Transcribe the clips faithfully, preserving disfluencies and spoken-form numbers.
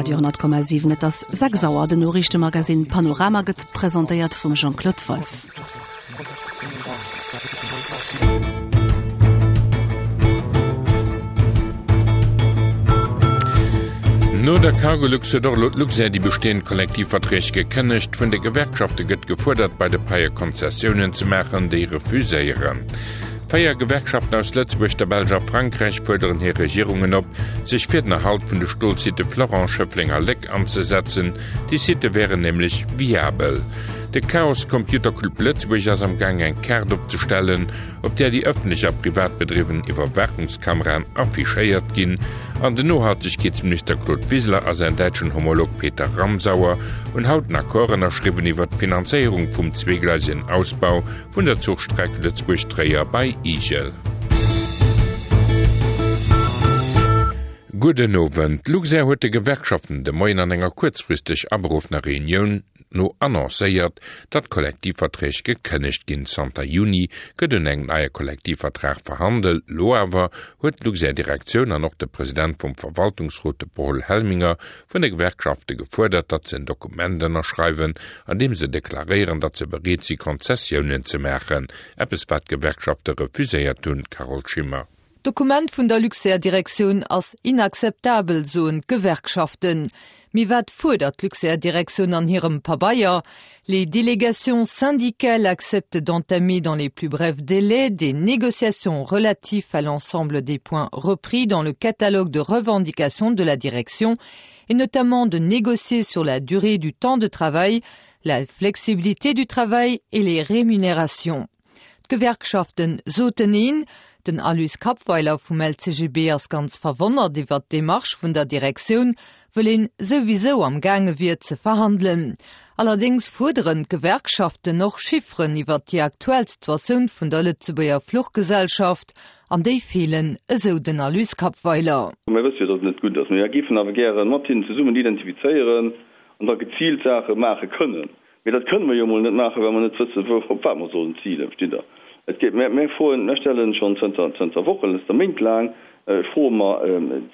Radio honnert Komma siwen. Et ass sechs Auer. Den Noriichtemagazin Panorama gëtt presentéiert vum Jean-Claude Wolff. No der Cargolux huet och elo d'Luxair déi bestehend Kollektivverträg gekënnegt. Vun de Gewerkschafte gëtt gefuerdert, bei de Paie Konzessiounen ze maachen, déi refuséieren. Véier Gewerkschaften aus Lëtzebuerg, der Belsch a Frankräich fuerderen hir Regierungen op, sech fir den Erhalt vun de Stolsitte Florange, Schëffleng a Léck anzesetzen. Déi Sitte wären nämlech viabel. De Chaos Computer Club Lëtzebuerg ass am Gaang eng Kaart opzestellen, op där déi ëffentlech a privat bedriwwen Iwwerwaachungskameraen affichéiert ginn. An den Nohaltegkeetsminister Claude Wiseler a säin däitschen Homolog Peter Ramsauer hunn haut en Accord ënnerschriwwen iwwer d'Finanzéierung vum zweegleisegen Ausbau vun der Zuchstreck Lëtzebuerg-Tréier bei Igel. Gudden Owend. D'Luxair huet de Gewerkschaften de Moien an enger kuerzfristeg aberuffener Reunioun no annoncéiert, datt d'Kollektivverträg gekënnegt ginn. Zanter Juni gëtt un engem neie Kollektivvertrag verhandelt. Lo awer huet d'Luxair-Direktioun an och de President vum Verwaltungsrot, de Paul Helminger, vun de Gewerkschafte gefuerdert, datt se en Dokument ënnerschreiwen, an deem se deklaréieren, datt se bereet si Konzessiounen ze maachen. Eppes wat d'Gewerkschafte refuséiert hunn, Carole Schimmer. D'Dokument vun der Luxair-Direktioun ass inakzeptabel, soen d'Gewerkschaften. Mee wat fuerdert d'Luxair-Direktioun an hirem Pabeier? Les délégations syndicales acceptent d'entamer dans les plus brefs délais des négociations relatives à l'ensemble des points repris dans le catalogue de revendications de la direction et notamment de négocier sur la durée du temps de travail, la flexibilité du travail et les rémunérations. D'Gewerkschaften soten neen. Den Aloyse Kappweiler vum L C G B ass ganz verwonnert iwwert d'Demarche vun der Direktioun, wëll een souwisou am gaange wier ze verhandelen. Allerdéngs fuerderen d'Gewerkschaften och Chifferen iwwert déi aktuell Situatioun vun der Lëtzebuerger Fluchgesellschaft, an déi feelen, esou den Aloyse Kappweiler. Mir wësse jo, datt et net gutt ass. Mir géifen awer gäre mat hinnen zesummen identifizéieren an da geziilt Saache maache kënnen. Mee dat kënne mer jo emol net maachen, well mer net wëssen, wou, op wat mer sollen zilen, verstitt Der? Et geet, mir, mir froen, mir stellen schonn zënter, zënter Wochen, zënter Méint laang froe mer,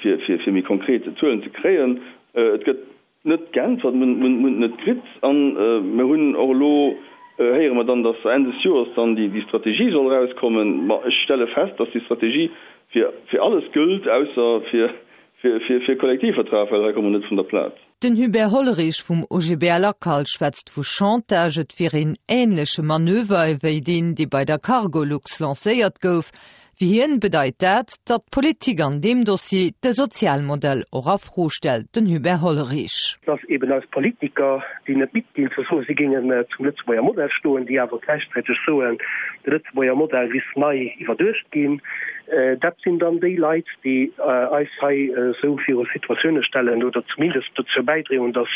fir, fir, fir méi konkret Zuelen ze kréien. Et gëtt net geäntwert, mir hunn, mir hunn et net kritt. An mir hunn och elo, héiere mer dann, dass Enn des Joers dann déi, déi Strategie soll erauskommen. Ma ech stelle fest, dass déi Strategie fir, fir alles gëllt, ausser fir, fir, fir, fir Kollektivvertrag, well hei komme mer net vun der Plaz. Den Hubert Hollerich vum O G B L Acal schwätzt vu Chantage, et wier een änleche Manöver ewéi deen, dee bei der Cargolux lancéiert gouf. Fir hien bedeit dat, datt d'Politik an deem Dossier de Sozialmodell och a Fro stellt, den Hubert Hollerich. Dass eben eis Politiker, déi net midd ginn ze soen, si géingen zum Lëtzebuerger Modell stoen, déi awer gläichzäiteg soen, de Lëtzebuerger Modell misst nei iwwerduecht ginn, dat sinn dann déi Leit, déi eis hei esou viru Situatioune stellen oder zumindest dozou bäidroen, datt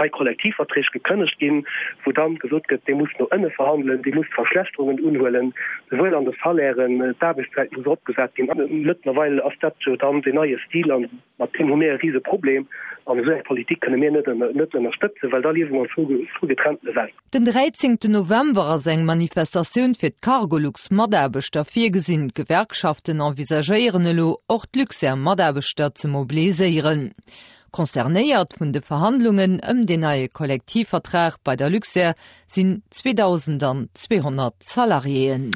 hei Kollektivverträg gekënnegt ginn, wou dann gesot gëtt, Dir musst no ënne verhandelen, Dir musst Verschlechterungen unhuelen, souwuel an de Salairen, d'Aarbechtszäit muss eropgesat ginn. Mëttlerweil ass dat jo dann deen neie Stil an mat deem hu mir e rise Problem an esou eng Politik kënne mir net net ënnerstëtzen, well da liewe mer an zwou getrennte Welten. Den dräizéngten November ass eng Manifestatioun fir d'Cargolux-Mataarbechter virgesinn. D'Gewerkschaften envisagéieren elo, och d'Luxair-Mataarbechter ze mobiliséieren. Concernéiert vun de Verhandlungen ëm den neie Kollektivvertrag bei der Luxair sinn zweedausendzweehonnert Salariéen.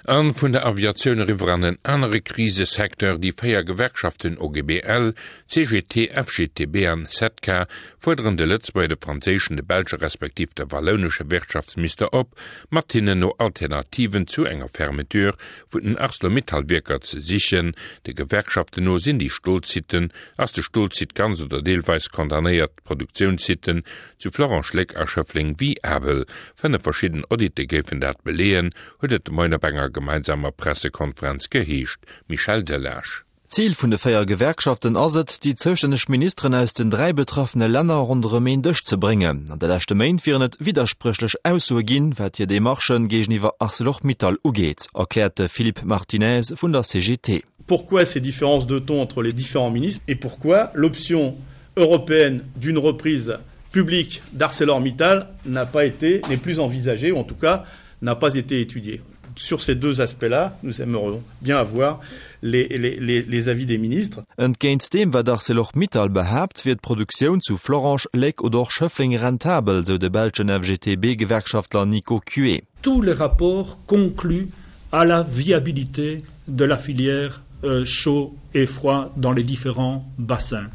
An vun der Aviatioun eriwwer an en anere Krisesecteur, Déi véier Gewerkschaften O G B L, C G T, F G T B an S E T C A fuerderen de Lëtzebuerger, de franséischen, de belsche respektiv de wallounesche Wirtschaftsminister op, mat hinnen no Alternativen zu enger Fermeture vun den Arcelor-Mittal-Wierker ze sichen. De Gewerkschaften no sinn déi Stolsitten, ass de Stolsite ganz oder deelweis condamnéiert, d'Produktiounssitten zu Florange, Léck a Schëffleng viabel. Fënnef verschidden Auditte géifen dat beleeën, huet et de Moien op enger gemeinsamer Pressekonferenz geheescht. Michel Delage. Zil vun de véier Gewerkschaften ass et, déi zoustänneg Ministeren aus den dräi betraffene Länner ronderëm een Dësch ze bréngen. An de leschte Méint wieren et widderspréchlech Aussoe ginn, wat hir Demarchë géigeniwwer Arcelor-Mittal ugeet, erkläert de Philippe Martinez vun der C G T. Pourquoi ces différences de ton entre les différents ministres et pourquoi l'option européenne d'une reprise publique d'ArcelorMittal n'a pas été, n'est plus envisagée ou en tout cas n'a pas été étudiée? Sur ces deux aspects-là, nous aimerions bien avoir les, les, les, les avis des ministres. Entgéint deem wat Arcelor-Mittal behaapt, wier d'Produktioun zu Florange, Léck oder och Schëffleng rentabel, sou de belschen F G T B-Gewerkschaftler Nico Cué. Tous les rapports concluent à la viabilité de la filière euh, chaud et froid dans les différents bassins.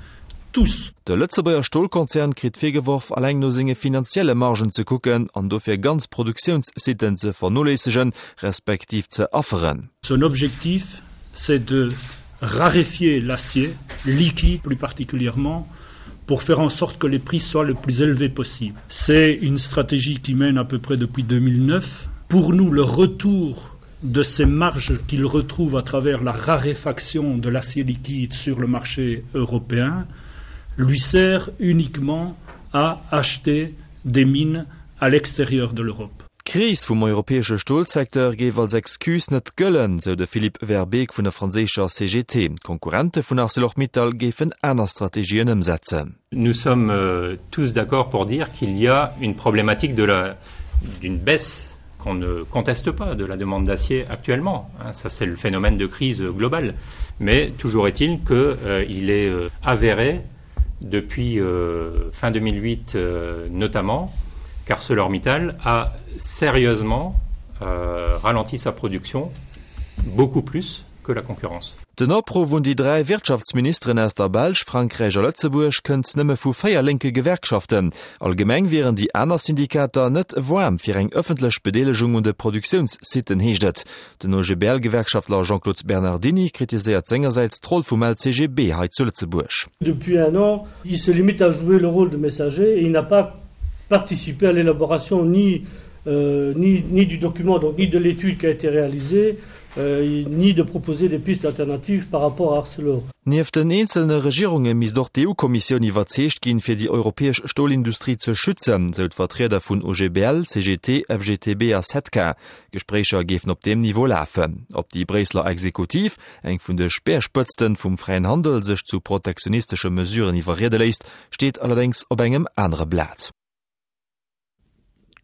Tous. De Lëtzebuerger Stolkonzern kritt virgeworf, alleng no senge finanzielle Margen ze kucken an dofir ganz Produktiounssitten ze vernoléissegen, respektiv ze afferen. Son objectif, c'est de raréfier l'acier, liquide plus particulièrement, pour faire en sorte que les prix soient le plus élevés possible. C'est une stratégie qui mène à peu près depuis deux mille neuf. Pour nous, le retour de ces marges qu'il retrouve à travers la raréfaction de l'acier liquide sur le marché européen lui sert uniquement à acheter des mines à l'extérieur de l'Europe. D'Kris vum europäesche Stolsecteur géif als Excuse net gëllen, sou de Philippe Verbeek vun der franséischer C G T. Konkurrente vun Arcelor-Mittal géifen aner Strategien ëmsetzen. Nous sommes euh, tous d'accord pour dire qu'il y a une problématique de la d'une baisse qu'on ne conteste pas de la demande d'acier actuellement. Hein, ça c'est le phénomène de crise globale. Mais toujours est-il qu'il euh, est euh, avéré depuis euh, fin deux mille huit euh, notamment qu'ArcelorMittal a sérieusement euh, ralenti sa production beaucoup plus que la concurrence. Den Opruff un déi dräi Wirtschaftsministeren aus der Belsch, Frankräich a Lëtzebuerg kënnt nëmme vu véier lénke Gewerkschaften. Allgemeng wieren déi aner Syndikater net waarm fir eng ëffentlech Bedeelegung un de Produktiounssitten, heescht et. Den O G B L-Gewerkschaftler Jean-Claude Bernardini kritiséiert sengersäits d'Roll vum L C G B hei zu Lëtzebuerg. Depuis un an, il se limite à jouer le rôle de messager et il n'a pas participé à l'élaboration ni, euh, ni, ni du document, donc ni de l'étude qui a été réalisée, euh, ni de proposer des pistes alternatives par rapport à Arcelor. Nieft den eenzelne Regierunge misst och d'E U-Kommissioun iwwerzeegt ginn, fir déi europäesch Stolindustrie ze schützen, sou d'Vertrieder vun O G B L, C G T, F G T B a S E T C A. Gespréicher géifen op deem Niveau lafen. Ob déi Bréisseler Exekutiv, eng vun de Speerspëtzte vum fräien Handel, sech zu protektionistesche Mesuren iwwerriede léisst, steet allerdéngs op engem anere Blat.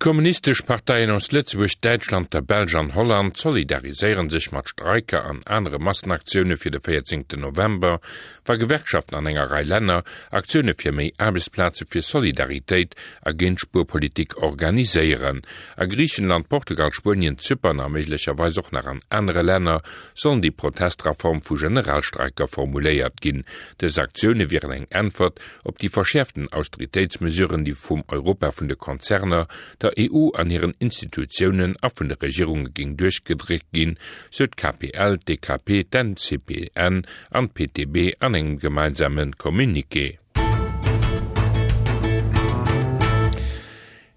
D'kommunistesch Parteien aus Lëtzebuerg, Däitschland, der Belsch an Holland solidariséiere sech mat Streiker an anere Massenaktioune fir de véierzéngten November, wa Gewerkschaften an enger Rei Länner Aktioune fir méi Aarbechtsplaze fir Solidaritéit a géint Spuerpolitik organiséieren. A Griichenland, Portugal, Spuenien, Zypern a méiglecherweis och nach an anere Länner sollen déi Protester a Form vu Generalstreiker formuléiert ginn. Dës Aktioune wieren eng Äntwert op déi verschäerften Austeritéitsmesuren, déi vum Europa vun de Konzerner, der E U an hiren Institutiounen a vun de Regierunge géing duerchgedréckt ginn, sou d'K P L, d'D K P, d'N C P N an d'P T B an engem gemeinsame Communiqué.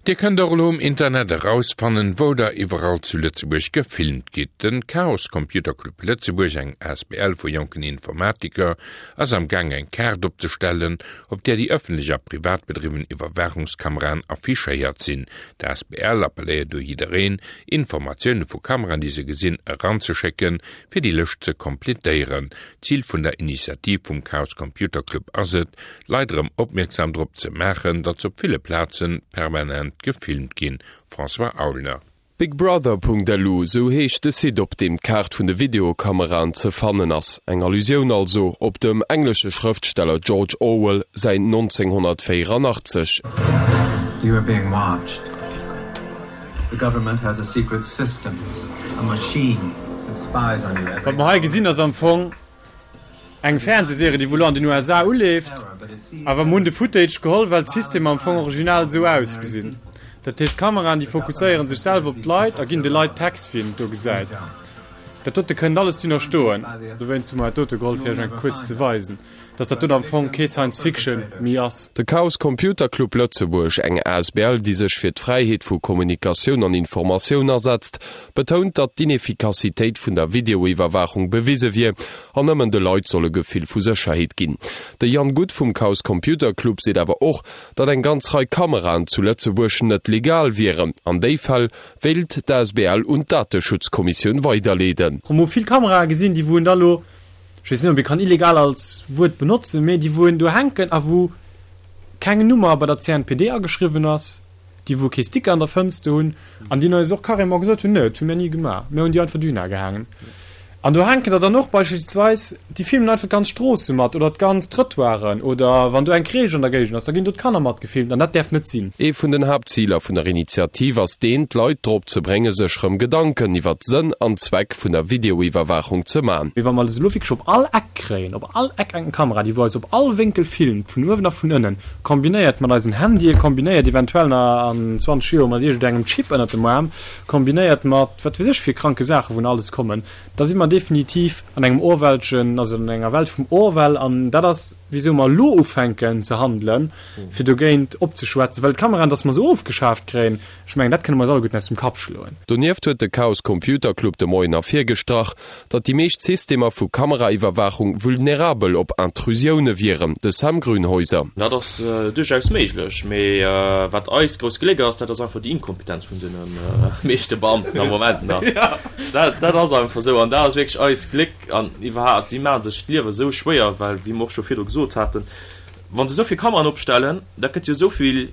Dir kënnt och elo um Internet erausfannen, wou der iwwerall zu Lëtzebuerg gefilmt gitt. Den Chaos Computer Club Lëtzebuerg, eng A S B L vu jonken Informatiker, ass am Gaang eng Kaart opzestellen, op där déi ëffentlech a privat bedriwwen Iwwerwaachungskameraen affichéiert sinn. D'A S B L appelléiert u jiddereen, Informatioune vu Kameraen, déi se gesinn, eranzeschécken, fir déi Lëscht ze kompletéieren. Zil vun der Initiativ vum Chaos Computer Club ass et, d'Leit erëm opmierksam drop ze maachen, datt op ville Plaze permanent gefilmt ginn. François Aulner. Bigbrother Punkt L U, sou heescht de Site, op deem d'Kaart vun de Videokameraen ze fannen ass. Eng Allusioun also op dem englesche Schrëftsteller George Orwell säin nonzénghonnertvéieranaachtzeg. You are being watched. The government has a secret system, a machine that spies on you every Wat mer hei gesinn ass am Fong eng Fernsehserie, déi wuel an den U S A uleeft, awer mir hunn de Footage geholl, well d'System am Fong original sou ausgesinn. Dat heescht, d'Kameraen déi fokusséieren sech selwer op d'Leit a ginn de Leit Text wien do gesäit. Dat dote kënnt alles dunner stoen. Dowéinst hu mer dat dote geholl fir iech eng kuerz ze weisen, dass dat do am Fong kee Science Fiction méi ass. De Chaos Computer Club Lëtzebuerg, eng A S B L, déi sech fir d'Fräiheet vu Kommunikatioun an Informatioun asetzt, betount, datt d'Ineffikassitéit vun der Videoiwwerwaachung bewise wier an nëmmen de Leit soll e Gefill vu Sécherheet ginn. De Jan Guth vum Chaos Computer Club seet awer och, datt eng ganz Rei Kameraen zu Lëtzebuerg net legal wieren. An déi Fäll wéilt d'A S B L un d'Dateschutzkommissioun weiderleeden. Mer hu vill Kamerae gesinn, déi wou da lo, ech weess net, ob ee kann illegal als Wuert benotzen, mee déi wou do hänken a wou keng Nummer bei der C N P D ageschriwwen ass, déi wou kee Sticker an der Fënster hunn an déi eis och carrément gesot hunn, nö, dat hu mir ni gemaach, mir hunn déi einfach dohinner gehaangen. An do hänken der dann och beispillsweis, déi filmen einfach d'ganz Stroosse mat oder d'ganz Trëttoiren oder wann do eng Crèche an der Géigend ass, da ginn do d'Kanner mat gefilmt an dat däerf net sinn. Ee vun den Haaptziler vun der Initiativ ass deen, d'Leit drop ze brénge sech rëm Gedanken iwwert Sënn an Zweck vun der Videoiwwerwaachung ze man. Mee wa mer se elo wierklech op all Eck kréien, op all Eck eng Kamera, déi wou eis op all Wénkel filmt, vun uewen a vun ënnen, kombinéiert mat eisen Handye, kombinéiert eventuell nach an zwanzeg Joer mat iergendengem Chip ënnert dem Aarm, kombinéiert mat wat weess ech fir kranke Saachen, wou nach alles kommen, da si mer definitiv an engem Orwellschen, also an enger Welt vum Orwell. An dat ass, wisou mer elo ufänken ze handelen, fir dogéint opzeschwätzen. Well d'Kameraen, dass mer se ofgeschaaft kréien, ech mengen, dat kënne mer eis alleguerten aus dem Kapp schloen. Donieft huet de Chaos Computer Club de Moien ervirgestrach, datt déi meescht Systemer vu Kameraiwwerwaachung vulnerabel op Intrusioune wieren. De Sam Grünhäuser. Dat ass duerchaus méiglech, mee wat eist grousst Gléck ass, dat ass einfach déi Inkompetenz vun de meeschte Beamten am Moment nach. Dat ass einfach esou an dat ass wierklech eist Gléck an iwwerhaapt, déi maache sech d'Liewe esou schwéier, well, wéi mer och scho virdru gesot haten, wa se esou vill Kameraen opstellen, da gëtt jo esou vill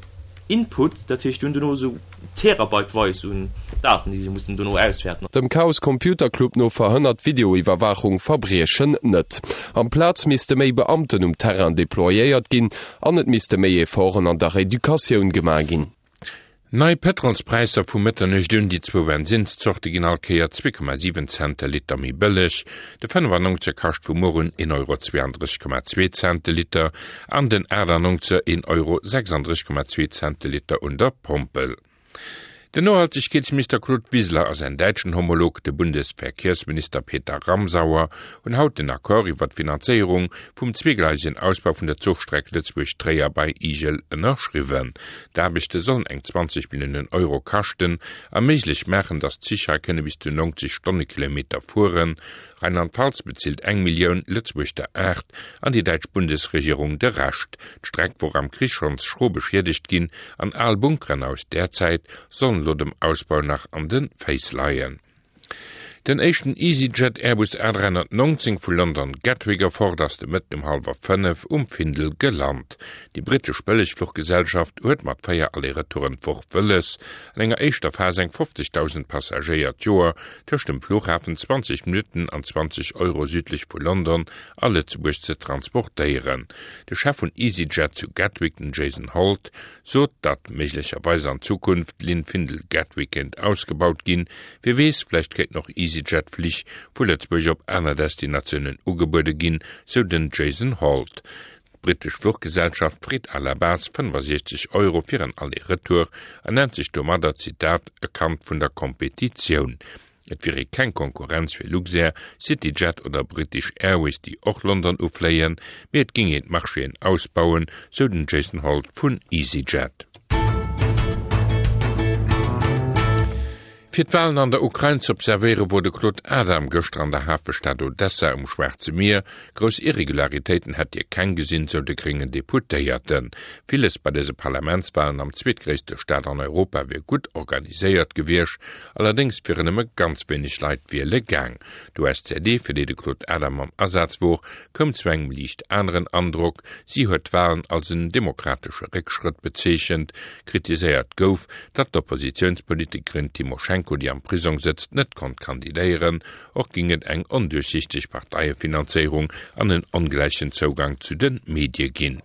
Input, dat heescht, déi hunn dono esou terabyteweis un Daten, déi se mussen dono auswäerten. Dem Chaos Computer Club no verhënnert Videoiwwerwaachung Verbriechen net. Amplaz misste méi Beamten um Terrain deployéiert ginn an et misste méi Efforten an der Educatioun gemaach ginn. Nei Pëtrolspräisser vu Mëtternuecht un, Déi zwou Bensinnszorte ginn all Kéier zwee Komma siwen Cent de Liter méi bëlleg. De fënnefannonzeger kascht vu muer un een Euro zweeandrësseg Komma zwee Cent de Liter an den aachtannonzeger een Euro sechsandrësseg Komma zwee Cent de Liter un der Pompel. Den Nohaltegkeetsminister Claude Wiseler a säin däitschen Homolog, de Bundesverkehrsminister Peter Ramsauer, hunn haut den Accord iwwer d'Finanzéierung vum zweegleisegen Ausbau vun der Zuchstreck Lëtzebuerg-Tréier bei Igel ënnerschriwwen. D'Aarbechte sollen eng zwanzeg Milliounen Euro kaschten a méiglech maachen, datt d'Zich hei kënne bis zu neunzeg Stonnekilometer fueren. Rheinland-Pfalz bezilt eng Millioun, Lëtzebuerg der aacht an déi däitsch Bundesregierung de Rescht. D'Streck wor am Krich schonns schro beschiedegt ginn an al Bunkeren aus där Zäit sollen elo dem Ausbau nach an de Féiss leien. Den éischten EasyJet Airbus A dräihonnertneunzéng vu London Gatwick erfort ass de Mëtten um hallwer fënnef um Findel gelant. Déi brittesch Bëllegfluchgesellschaft huet mat véier Aller-Retouren d'Woch wëlles, an enger éischter Phas eng fofzegdausend Passagéier d'Joer tëscht dem Flughafen zwanzeg Minutten an zwanzeg Euro südlech vu London a Lëtzebuerg ze transportéieren. De Chef vun EasyJet zu Gatwick, den Jason Holt, sot, datt méiglecherweis an Zukunft d'Linn Findel-Gatwick kéint ausgebaut ginn. Wie weess, vläicht kéinten och EasyJet-Flich vu Lëtzebuerg op aner Destinatiounen ugebuede ginn, sou den Jason Holt. D'brittesch Fluchgesellschaft freet à la base fënnefasiechzeg Euro fir en Aller-Retour a nennt sech domadder, Zitat, e Kand vun der Kompetitioun. Et wier ee keng Konkurrenz fir Luxair, CityJet oder British Airways, déi och London ufléien, mee et géing een d'Marchéen ausbauen, sou den Jason Holt vun EasyJet. Fir d'Walen an der Ukrain z'observéiere wor de Claude Adam gëschter an der Hafestad Odessa um Schwaarze Mier. Grouss Irregularitéiten hätt hie keng gesinn, sou de gréngen Deputéierten. Villes bei dëse Parlamentswalen am zweetgréisste Staat an Europa wier gutt organiséiert gewiescht, allerdéngs wieren nëmme ganz wéineg Leit wiele gaang. D'U S C D, fir déi de Claude Adam am Asaz wor, koum zu engem liicht aneren Androck. Si huet d'Walen als en demokratesche Réckschrëtt bezeechent. Kritiséiert gouf, datt d'Oppositiounspolitikerin Tymoschenko, déi am Prisong sëtzt, net konnt kandidéieren. Och géing et eng onduerchsichteg Parteiefinanzéierung an en ongläichen Zougang zu de Medie ginn.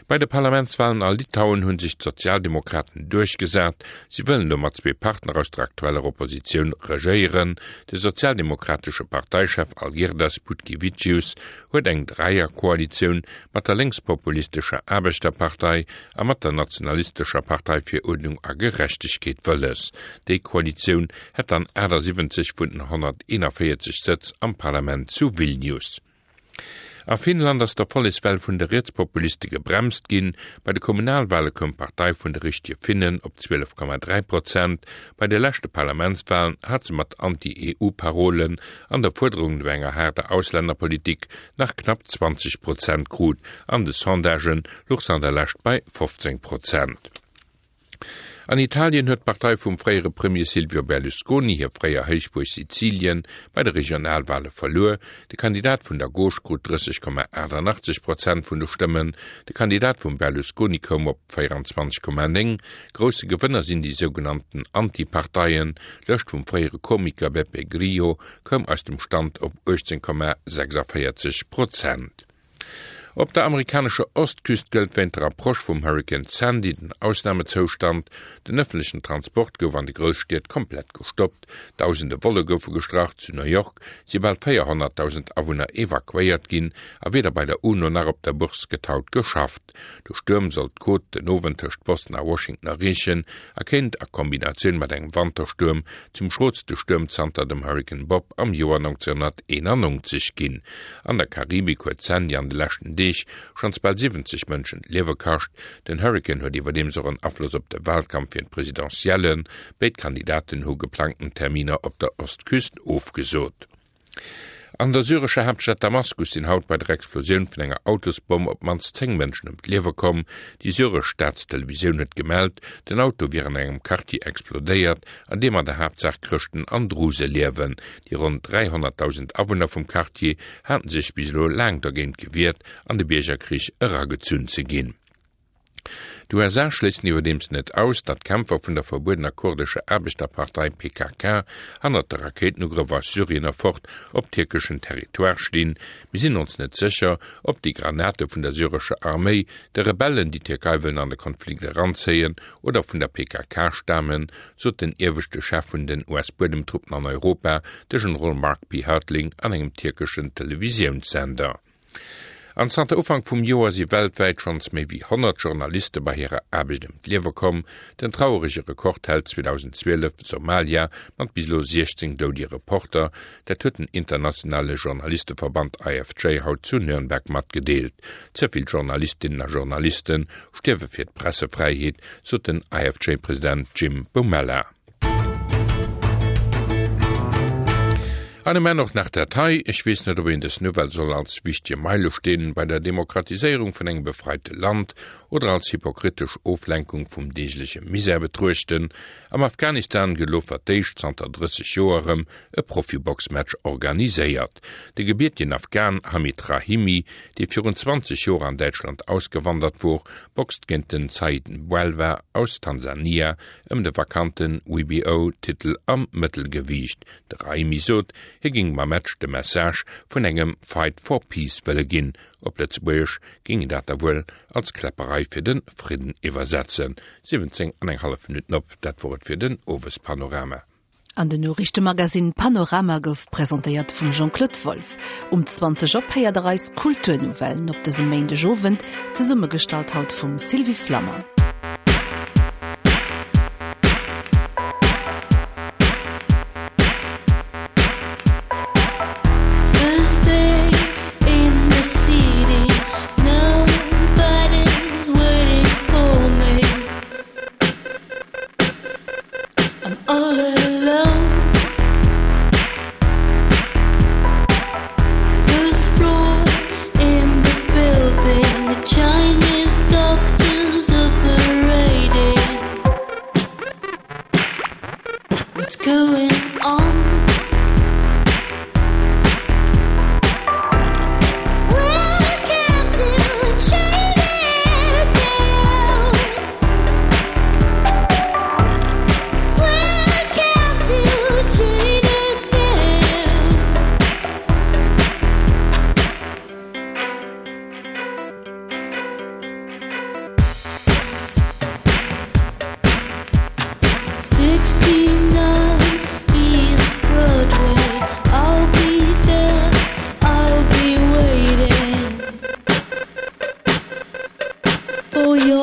Bei de Parlamentswalen a Litauen hu sech d'Sozialdemokraten duerchgesat. Si wëllen elo mat zwee Partner aus der aktueller Oppositioun regéieren. De sozialdemokratesche Parteichef Algirdas Butkevičius huet eng Dräierkoalitioun mat der lénkspopulistescher Aarbechterpartei a mat der nationalistescher Partei fir Uerdnung a Gerechtegkeet wëlles. Déi Koalitioun hätt dann achtasiwwenzeg vun den honnerteenanvéierzeg Sëtz am Parlament zu Vilnius. A Finnland ass d'Erfollegswell vun de Rietspopuliste gebremst ginn. Bei de Kommunalwale koum d'Partei vun de Richtege Finnen op zwielef Komma dräi Prozent. Bei de leschte Parlamentswalen hat se mat Anti-E U-Parolen an der Fuerderung no enger haarder Auslännerpolitik nach knapp zwanzeg Prozent krut. An de Sondagë louch se an der Lescht bei fofzéng Prozent. An Italien huet d'Partei vum fréiere Premier Silvio Berlusconi hir fréier Héichbuerg Sizilien bei de Regionalwale verluer. De Kandidat vun der Gauche krut drësseg Komma achtannachtzeg Prozent vun de Stëmmen, de Kandidat vum Berlusconi koum op véieranzwanzeg Komma néng. Grousse Gewënner sinn déi sougenannten Anti-Parteien. D'Lëscht vum fréiere Komiker Beppe Grillo koum aus dem Stand op uechtzéng Komma sechsavéierzeg Prozent. Op der amerikanescher Ostküst gëllt wéint der Approche vum Hurrikan Sandy den Ausnamezoustand. Den ëffentlechen Transport gouf an de Grousstied komplett gestoppt, dausende Volle goufe gestrach. Zu New York si bal véierhonnertdausend Awunner evakuéiert ginn a weder bei der UNO nach op der Bourse gëtt haut geschafft. De Stuerm soll d'Côte den Owend tëscht Boston a Washington erreechen a kéint a Kombinatioun mat engem Wanterstuerm zum schrootste Stuerm zanter dem Hurrikan Bob am Joer nonzénhunnerteenannonzeg ginn. An der Karibik huet d'Sandy an de leschten Deeg schonns bal siwwenzeg Mënschen d'Liewe kascht. Den Hurrikan huet iwwerdeems och en Afloss op de Walkampf fir d'Presidentiellen. Béid Kandidaten hu geplangten Terminer op der Ostküst ofgesot. An der syrescher Haaptstad Damaskus sinn haut bei der Explosioun vun enger Autosbomm op d'mannst zéng Mënschen ëm d'Liewe komm. Déi syresch Staatstelevisioun huet gemellt, den Auto wier an engem Quartier explodéiert, an deem an der Haaptsaach Chrëschten an Druse liewen. Déi ronn dräihonnertdausend Awunner vum Quartier haten sech bis elo laang dergéint gewiert, an de Biergerkrich eragezunn ze ginn. D'U S A schléissen iwwerdeems net aus, datt Kämpfer vun der verbuedener kurdescher Aarbechterpartei P K K hannert de Rakéitenugrëff aus Syrien erfort op tierkeschen Territoire stinn. Mir sinn ons net sécher, ob déi Granate vun der syrescher Arméi, de Rebellen, déi d'Tierkei wëllen an de Konflikt eranzéien, oder vun der P K K stamen, sot den ieweschte Chef vun den U S-Buedemtruppen an Europa, de Generol Mark P. Hertling, an engem tierkeschen Televisiounssender. An zanter Ufank vum Joer si weltwäit schonns méi wéi honnert Journaliste bei hirer Aarbecht ëm d'Liewe komm. Den traurege Rekord hält zweedausendzwielef Somalia mat bis elo siechzéng doudige Reporter. Dat huet den internationale Journalisteverband I F J haut zu Nürnberg matgedeelt. Ze vill Journalistinnen a Journalisten stierwe fir d'Pressefräiheet, sot den I F J-President Jim Boumelha. An um Enn och nach dat hei. Ech weess net, ob een dës Nouvelle soll als wichtige Meilesteen bei der Demokratiséierung vun engem befreite Land oder als hypokritesch Oflenkung vum deegleche Misär betruechten. Am Afghanistan gëtt elo fir d'éischt zanter drësseg Joer erëm e Profiboxmatch organiséiert. De gebiertigen Afghan Hamid Rahimi, dee virun zwanzeg Joer an Däitschland ausgewandert wor, boxt géint den Said Mbwelwa aus Tansania ëm de vakanten W B O-Titel am Mëttelgewiicht. De Rahimi sot, hie ging mam Match de Message vun engem Fight for Peace wëlle ginn. Op Lëtzebuergesch ging dat da wuel als Kläpperei fir den Fridden iwwersetzen. siwwenzéng an eng hallef Minuten op, dat wor et fir den Owespanorama. An den Noriichtemagazin Panorama gouf presentéiert vum Jean-Claude Wolff. Um zwanzeg op héiert der eis Kulturnouvellen op dësem Méindegowend, zesummegestallt haut vum Sylvie Flammer. Chinese doctors operating. What's going on? Welcome to Chinatown. Welcome to Chinatown. Sixty-nine East Broadway. I'll be there. I'll be waiting for your